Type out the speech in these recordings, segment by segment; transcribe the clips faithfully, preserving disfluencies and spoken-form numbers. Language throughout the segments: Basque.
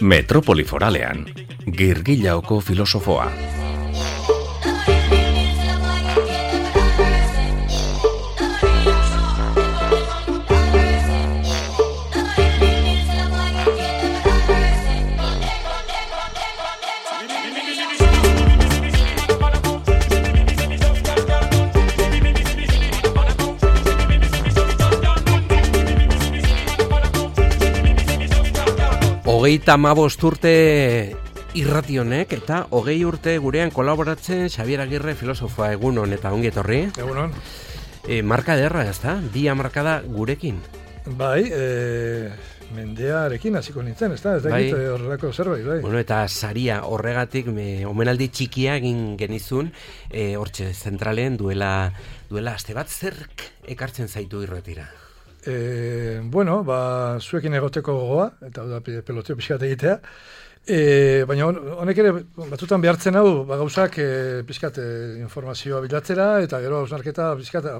Metropoli Foralean, Girgillaoko filosofoa. Hogeita hamabost urte irrati honek eta hogei urte gurean kolaboratzen Xabier Agirre filosofoa. Egunon eta ongi etorri. Egunon. E, marka ederra, ez da? Bi hamarkada gurekin. Bai, e, mendearekin hasiko nintzen, ez da? Ez da bai. egite horrelako zerbait, bai. Bueno, eta saria horregatik me, omenaldi txikia egin genizun, e, hortxe zentralen duela, duela aste bat zerk ekartzen zaitu irratira. E, bueno, ba, zuekin egoteko gogoa, eta da peloteo pixkat egitea, e, baina honek ere batzutan behartzen hau, ba, gauzak e, pixkat e, informazioa bilatzera, eta gero hausnarketa pixkat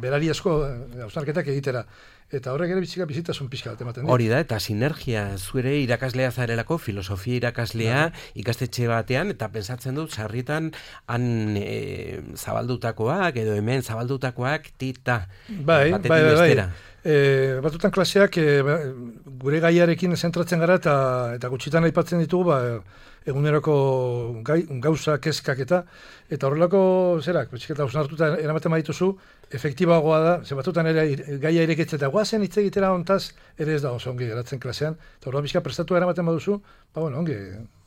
berari asko hausnarketak egitera. Eta horrek ere bizika bizitasun pixkat ematen. Hori da, eta sinergia, zuere irakaslea zarelako, filosofia irakaslea, ja. Ikastetxe batean, eta pensatzen dut, sarritan han e, zabaldutakoak, edo hemen zabaldutakoak, tita, bai, batetik bai, bai, bestera. Bai. E, batutan klaseak e, gure gaiarekin zentratzen gara, eta, eta gutxitan aipatzen ditugu, ba, eguneroko gai, gauza, kezkak eta, eta horrelako zerak, betxiketa hausnartuta eramaten badituzu, efektibagoa da, ze batutan ere gaia irekitzen, eta guazen hitz egitera hontaz, ere ez da oso ongi geratzen klasean, eta horrela bizka prestatu eramaten baduzu, ba bueno, ongi,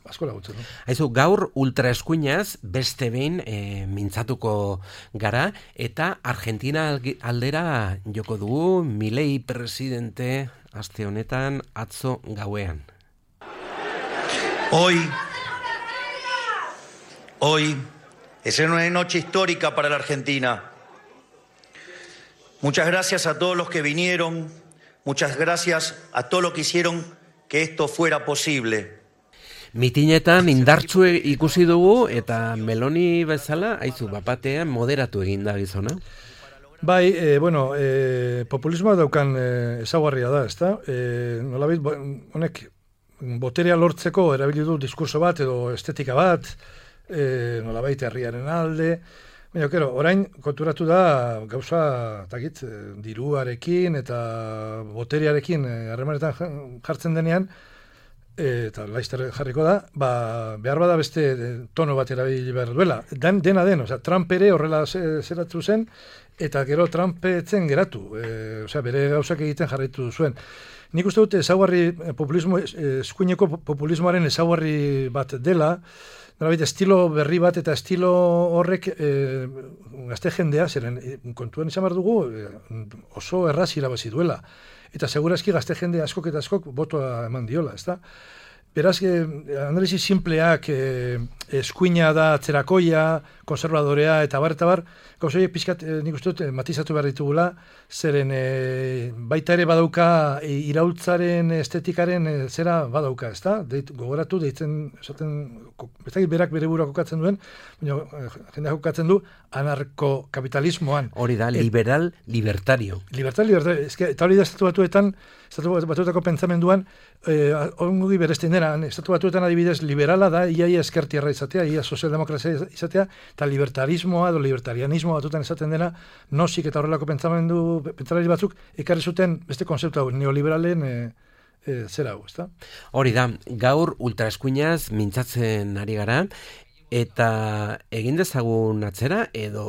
asko lagutzen. No? Haizu, gaur ultraeskuinaz beste behin e, mintzatuko gara, eta Argentina aldera joko dugu, Milei presidente aste honetan atzo gauean. Hoy, hoy es una noche histórica para la Argentina. Muchas gracias a todos los que vinieron, muchas gracias a todos los que hicieron que esto fuera posible. Mitinetan indartsu ikusi dugu eta Meloni bezala, haizu, bapatean moderatu eginda gizona. Bai, e, bueno, e, populismoa daukan e, ezaugarria da, ezta? E, nolabait, honek boterea lortzeko erabili du diskurso bat edo estetika bat, e, nolabait herriaren alde. Baina, kero, orain konturatu da gauza, takit, diruarekin eta boterearekin harremanetan jartzen denean, e, eta laizter jarriko da, ba, behar bada beste tono bat erabili behar duela. Den, dena den, osea, Trump ere horrela zeratu zen, eta gero Trump etzen geratu, e, osea, bere gauzak egiten jarraitu zuen. Nik uste dute ezaugarri populismo, eskuineko populismoaren ezaugarri bat dela, nolabait estilo berri bat eta estilo horrek e, gazte jendea, zeren kontuan izan behar dugu e, oso erraz irabazi duela. Eta segurazki gazte jende askok eta askok botoa eman diola, ezta? Beraz, eh, analisi simpleak eh, eskuina da atzerakoia, konservadorea eta bar eta bar, gauzoi pixkat eh, nik uste dut eh, matizatu behar ditugula, zeren eh, baita ere badauka e, iraultzaren estetikaren e, zera badauka, ezta? Deit, gogoratu, deitzen, esaten, ez dakit berak bere burua kokatzen duen, baina eh, jendeak kokatzen du anarkokapitalismoan. Hori da, liberal, libertario. Libertario, libertario, eske, eta hori da estatu batuetan, estatu batuetako pentsamenduan, eh, ongi beresten dena, estatu batuetan adibidez liberala da, iaia eskertierra izatea, ia sozialdemokrazia izatea, eta libertarismoa edo libertarianismoa batutan esaten dena, nosik eta horrelako pentsamendu, pentsalari batzuk, ekarri zuten beste konzeptu hau, neoliberalen e, e, zera hau, ezta? Hori da, gaur ultraeskuinaz mintzatzen ari gara, eta egin dezagun atzera, edo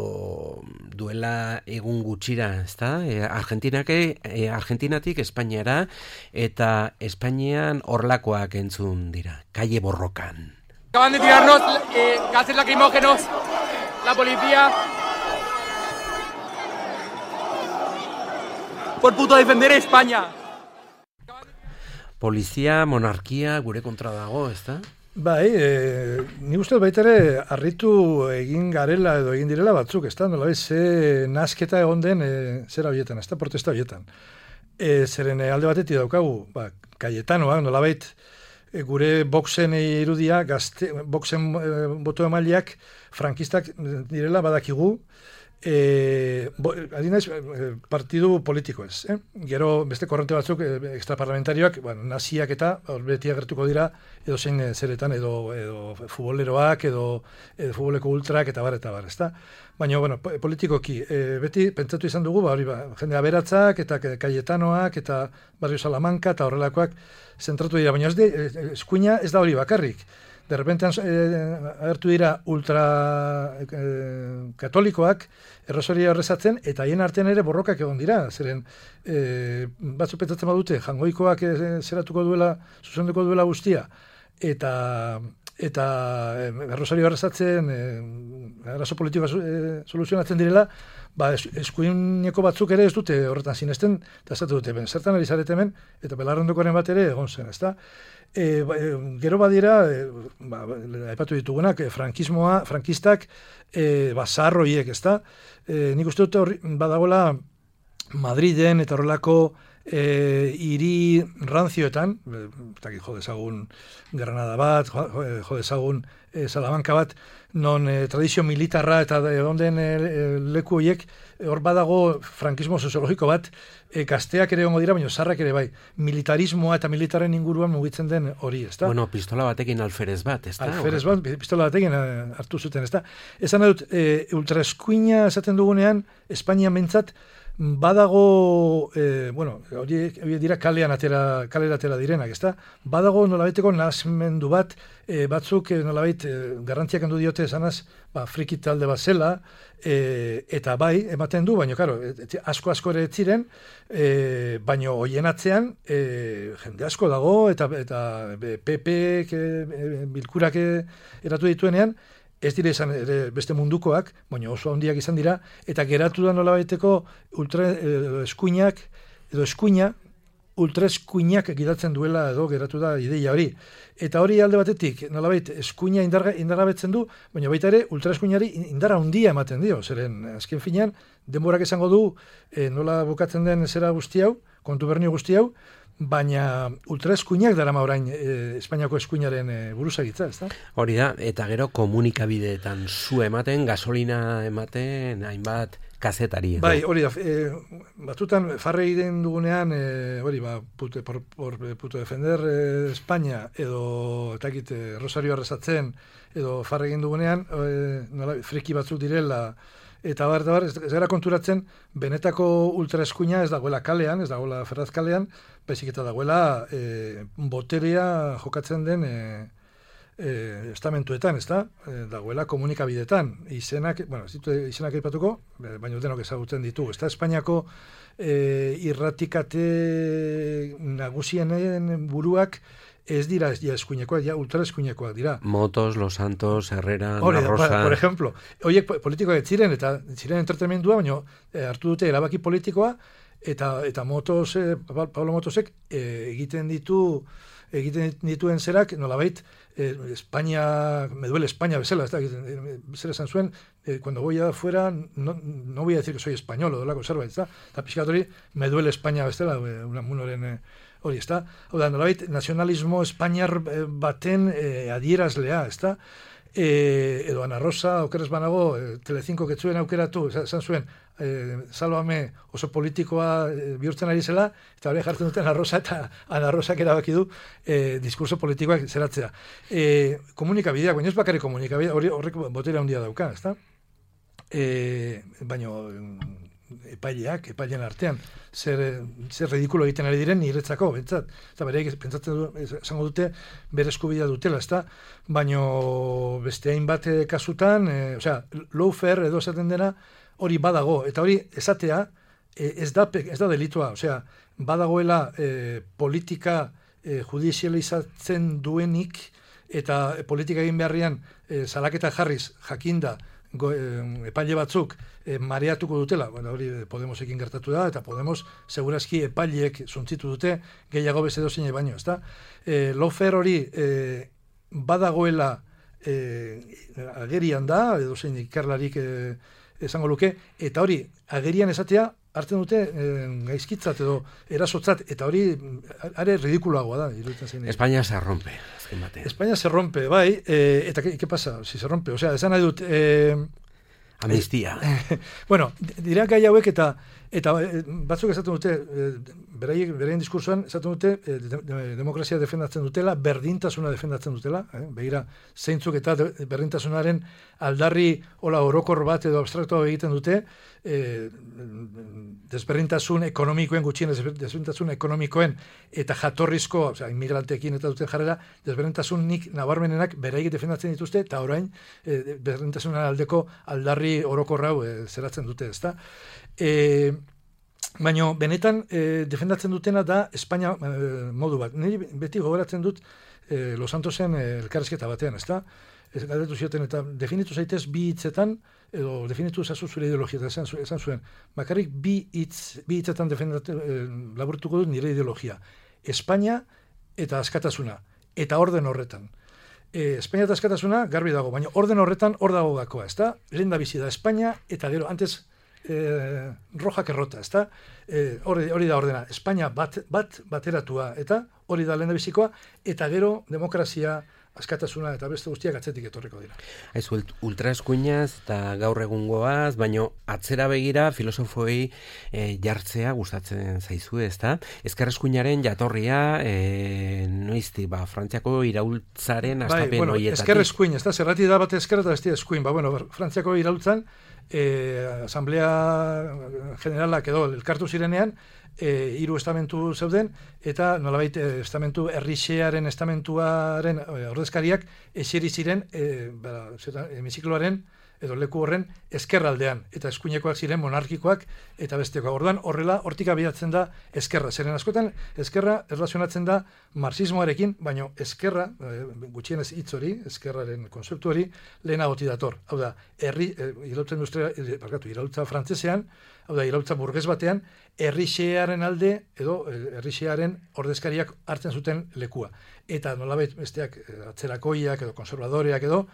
duela egun gutxira, ezta? E, Argentinake, e, Argentinatik Espainiara, eta Espainian horlakoak entzun dira, kalle borrokan. Acaban de tirarnos eh, gases lacrimógenos, la policía, por puto defender España. Polizia, monarkia, gure kontra dago, ezta? Bai, e, ni uste baita ere harritu egin garela edo egin direla batzuk, ezta? Nolabait ze nasketa egon den e, zera horietan, ezta? Protesta horietan. E, zeren alde batetik daukagu, ba, Cayetanoa, nolabait e, gure boxen irudia, gazte, boxen e, boto emaileak frankistak direla badakigu, E, bo, adinaiz, partidu politiko ez. Eh? Gero beste korrente batzuk eh, extraparlamentarioak, bueno, naziak eta hor beti agertuko dira edo zein eh, zeretan, edo, edo futboleroak, edo, edo futboleko ultrak eta bar, eta bar, ezta? Baina, bueno, politikoki, eh, beti pentsatu izan dugu, ba, hori ba, jende aberatzak eta Cayetanoak eta Barrio Salamanca eta horrelakoak zentratu dira, baina ez de, eskuina ez da hori bakarrik. De repente eh, agertu dira ultra eh, katolikoak errosaria horrezatzen, eta haien artean ere borrokak egon dira, zeren eh, batzu pentsatzen badute, jangoikoak eh, zeratuko duela, zuzenduko duela guztia, eta eta eh, errosaria horrezatzen eh, arazo politikoa eh, soluzionatzen direla, ba, eskuineko batzuk ere ez dute horretan sinesten, eta ez dute, ben, zertan ari zarete hemen, eta belarrondokoren bat ere egon zen, ezta? E, ba, e, gero badira, e, ba, aipatu ditugunak, e, frankismoa, frankistak, e, ba, zaharroiek, ezta? E, nik uste dute horri, badagoela Madriden eta horrelako e, hiri ranzioetan, eta jo dezagun Granada bat, jo dezagun e, Salamanca bat, non e, tradizio militarra eta onden e, e, leku horiek, hor badago frankismo soziologiko bat, e, gazteak ere ongo dira, baina zarrak ere bai, militarismoa eta militaren inguruan mugitzen den hori, ezta? Bueno, pistola batekin alferez bat, ezta? Alferez bat, pistola batekin hartu zuten, ezta? Esan dut, e, ultraeskuina esaten dugunean, Espainia mentzat, badago, eh, bueno, hori dira kalean atera, kalera atera direnak, ezta? Badago nolabaiteko nahasmendu bat, eh, batzuk eh, nolabait eh, garrantziak handu diote esanaz, ba, friki talde bat zela, eh, eta bai, ematen du, baina, karo, asko-asko ere ziren, eh, baina hoien atzean, eh, jende asko dago, eta, eta P P eh, bilkurak eratu dituenean, ez dira izan ere beste mundukoak, baina oso handiak izan dira, eta geratu da nolabaiteko ultra eh, eskuinak, edo eskuina, ultra eskuinak gidatzen duela edo geratu da ideia hori. Eta hori alde batetik, nolabait, eskuina indarga, indargabetzen du, baina baita ere ultra eskuinari indarra handia ematen dio, zeren azken finean, denborak esango du eh, nola bukatzen den zera guzti hau, kontubernio guzti hau, baina ultraeskuinak darama orain e, Espainiako eskuinaren e, buruzagitza, ezta? Hori da, eta gero komunikabideetan zu ematen, gasolina ematen, hainbat kazetari. Bai, hori da, e, batutan farre egiten dugunean, e, hori, ba, pute, por, por, puto defender e, España, edo, eta egit, e, Rosario arrezatzen, edo farre egin dugunean, e, nola, friki batzuk direla, eta bar, eta bar, ez, ez gara konturatzen, benetako ultraeskuina ez dagoela kalean, ez dagoela Ferraz kalean, baizik eta dagoela e, boterea jokatzen den e, e, estamentuetan, ez da? E, dagoela komunikabidetan, izenak, bueno, ez ditu izenak aipatuko, baina denok ezagutzen ditugu, ez da? Espainiako e, irratikate nagusienen buruak, ez dira ja eskuinekoak, ja ultraeskuinekoak dira. Motos, Los Santos, Herrera, Hore, Rosa... Por ejemplo, horiek politikoak ziren, eta ziren entretenimendua, baina eh, hartu dute erabaki politikoa, eta eta Motos, eh, Pablo Motosek eh, egiten ditu egiten dituen zerak, nolabait, eh, España, me duele España bezala, ez da, zer esan zuen, eh, cuando voy afuera, no, no voy a decir que soy español, o dolako zerbait, ez da, eta pixkatori, me duele España bezala, una munoren... Eh, hori, ez da? Hau da, nolabait, nazionalismo espainiar baten e, adierazlea, ez da? E, edo Ana Rosa, okeres banago, e, Telecinco ketzuen aukeratu, esan zuen, e, Salvame oso politikoa e, bihurtzen ari zela, eta hori jartzen duten Ana Rosa, eta Ana Rosak erabaki du e, diskurso politikoak zeratzea. E, komunikabideak, baina ez bakarrik komunikabideak, hori horrek boterea handia dauka, ez da? E, baina... epaileak, epailean artean, zer, zer ridikulo egiten ari diren niretzako, bentsat. Eta bereik pentsatzen du, esango dute, bere eskubidea dutela, ezta? Baino beste hainbat kasutan, e, osea, lawfare edo esaten dena, hori badago, eta hori esatea, e, ez da ez da delitua, osea, badagoela e, politika e, judizializatzen duenik, eta politika egin beharrian e, salaketa jarriz, jakinda, Go, eh, epaile batzuk eh, mareatuko dutela, bueno, hori Podemosekin gertatu da, eta Podemos segurazki epaileek zuntzitu dute gehiago beste dozein baino, ezta? Eh, lawfare hori eh, badagoela eh, agerian da, edo zein ikerlarik eh, esango luke, eta hori agerian esatea hartzen dute eh, gaizkitzat edo erasotzat, eta hori are ridikuloagoa da. España se rompe. España se rompe, bai, eh, eta ¿qué, qué pasa si se rompe? O sea, esan nahi dut... Eh, Amnistia. Bueno, dira gai hauek eta eta batzuk esaten dute, beraiek beraien diskursoan esaten dute de, de, demokrazia defendatzen dutela, berdintasuna defendatzen dutela, eh? Begira zeintzuk eta de, berdintasunaren aldarri hola orokor bat edo abstraktoa egiten dute, eh, desberdintasun ekonomikoen gutxien desberdintasun ekonomikoen eta jatorrizko, osea, inmigranteekin eta duten jarrera, desberdintasunik nabarmenenak beraiek defendatzen dituzte eta orain eh, berdintasunaren aldeko aldarri orokorra hau eh, zeratzen dute, ezta? Eh, baina benetan eh, defendatzen dutena da Espainia eh, modu bat. Niri beti gogoratzen dut eh, Los Santosen eh, elkarrizketa batean, ezta? Ez galdetu zioten eta definitu zaitez bi hitzetan edo definitu zazu zure ideologia eta esan, esan zuen. Bakarrik bi hitz bi hitzetan defendatu eh, laburtuko dut nire ideologia. Espainia eta askatasuna eta orden horretan. Eh, Espainia eta askatasuna garbi dago, baina orden horretan hor dago gakoa, ezta? Lehen da bizi da Espainia eta gero antes Eh, roja kerrota, ezta? Eh, hori, hori da ordena. Espainia bat, bat bateratua eta hori da lehendabizikoa eta gero demokrazia, askatasuna eta beste guztiak atzetik etorriko dira. Aizu, ultraeskuinaz eta gaur egungoaz, baino atzera begira filosofoi e, jartzea gustatzen zaizue, ezta? Ezkerreskuinaren jatorria e, noizti, ba, Frantziako iraultzaren astapen bai, bueno, hoietatik. Ezkerreskuin, ezta? Zerrati da bat ezker eta beste eskuin. Ba, bueno, Frantziako iraultzan eh, Asamblea Generalak edo elkartu zirenean E, hiru estamentu zeuden eta nolabait e, estamentu herrixearen estamentuaren e, ordezkariak eseri ziren e, ba, hemizikloaren edo leku horren ezkerraldean eta eskuinekoak ziren monarkikoak eta bestekoak. Orduan horrela hortik abiatzen da ezkerra. Zeren askotan ezkerra erlazionatzen da marxismoarekin, baino ezkerra e, gutxienez hitz hori, ezkerraren konzeptu hori lehenagotik dator. Hau da, herri e, iraultza industria, e, barkatu, iraultza frantsesean, hau da, iraultza burges batean, herrixearen alde edo herrixearen ordezkariak hartzen zuten lekua. Eta nolabait besteak atzerakoiak edo konservadoreak edo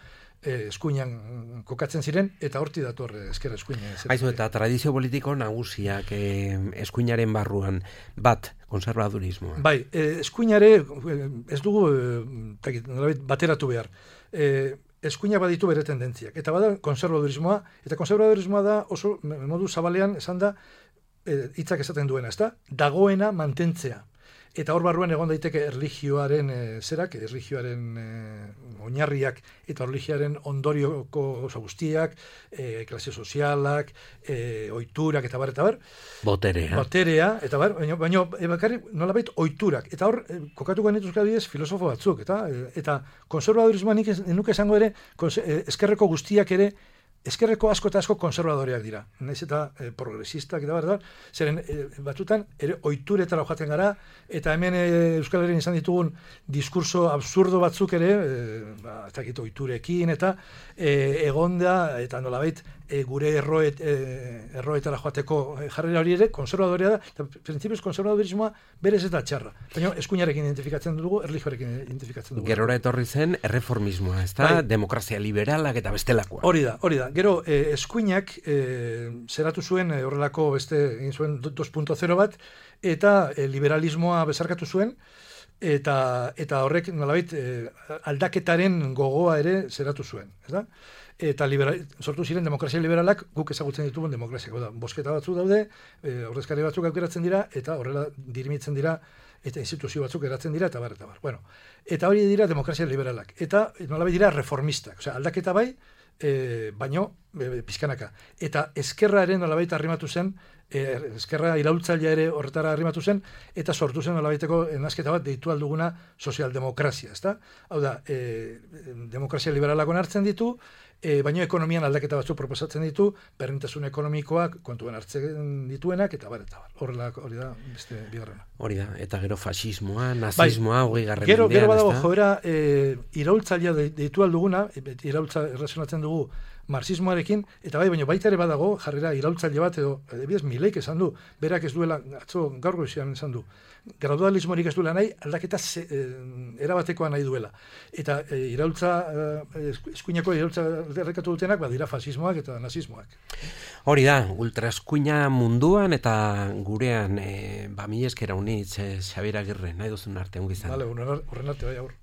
eh, eskuinan kokatzen ziren eta horti dator ezker eskuina. Aizu, eta tradizio politiko nagusiak eh, eskuinaren barruan bat konservadurismoa. Bai, eh, eskuinare ez dugu eh, nolabait bateratu behar. Eh, eskuina baditu bere tendentziak. Eta bada konservadurismoa, eta konservadurismoa da oso modu zabalean esan da hitzak esaten duena, ezta? Dagoena mantentzea. Eta hor barruan egon daiteke erlijioaren e, zerak, erlijioaren e, oinarriak eta erlijioaren ondorioko oso guztiak, e, klase sozialak, e, oiturak eta bar, eta bar. Boterea. Boterea, eta bar, baina, baina e, bakarrik nolabait oiturak. Eta hor, e, kokatuko nituzka adibidez filosofo batzuk, eta e, eta konservadurismoa nik nuke esango ere, konse, e, eskerreko guztiak ere, eskerreko asko eta asko konservadoreak dira. Naiz eta e, progresistak eta bar, zeren e, batzutan ere oituretara joaten gara, eta hemen e, Euskal Herrian izan ditugun diskurso absurdo batzuk ere, e, ba, ez dakit oiturekin, eta e, egonda, eta nolabait e, gure erroet, e, erroetara joateko jarrera hori ere, konservadorea da, eta printzipioz konservadorismoa berez eta txarra. Baina eskuinarekin identifikatzen dugu, erlijioarekin identifikatzen dugu. Gerora etorri zen erreformismoa, ezta? Bai. Demokrazia liberalak eta bestelakoa. Hori da, hori da. Gero, eh, eskuinak eh, zeratu zuen eh, horrelako beste egin zuen dos punto zero bat, eta eh, liberalismoa bezarkatu zuen, eta eta horrek nolabait eh, aldaketaren gogoa ere zeratu zuen, ez da? Eta liberal, sortu ziren demokrazia liberalak guk ezagutzen ditugun demokraziak. Da, bosketa batzuk daude, e, ordezkari batzuk aukeratzen dira, eta horrela dirimitzen dira, eta instituzio batzuk eratzen dira, eta bar, eta bar. Bueno, eta hori dira demokrazia liberalak. Eta nolabait dira reformistak. Osea, aldaketa bai, e, baino e, pizkanaka. Eta eskerra ere nolabait arrimatu zen, e, eskerra iraultzailea ere horretara arrimatu zen, eta sortu zen nolabaiteko nasketa bat deitu alduguna sozialdemokrazia, ezta? Hau da, e, demokrazia liberalak onartzen ditu, E, baino ekonomian aldaketa batzuk proposatzen ditu, berdintasun ekonomikoak kontuan hartzen dituenak, eta bar, eta bar. Horrela, hori da, beste bigarrena. Hori da, eta gero fasismoa, nazismoa, hogei bai, garren gero, mendean, gero badago joera, e, iraultzailea deitu alduguna, iraultza errazionatzen dugu marxismoarekin, eta bai, baina baita ere badago, jarrera iraultzaile bat, edo, edibidez, Mileik esan du, berak ez duela, atzo gaur goizean esan du, gradualismorik ez duela nahi, aldaketa ze, e, erabatekoa nahi duela. Eta e, iraultza, e, eskuinako iraultza errekatu dutenak, badira fasismoak eta nazismoak. Hori da, ultraeskuina munduan eta gurean, e, ba, mi eskera unitz, e, Xabier Agirre, nahi duzun arte, ongizan. Vale, horren arte, bai, aur.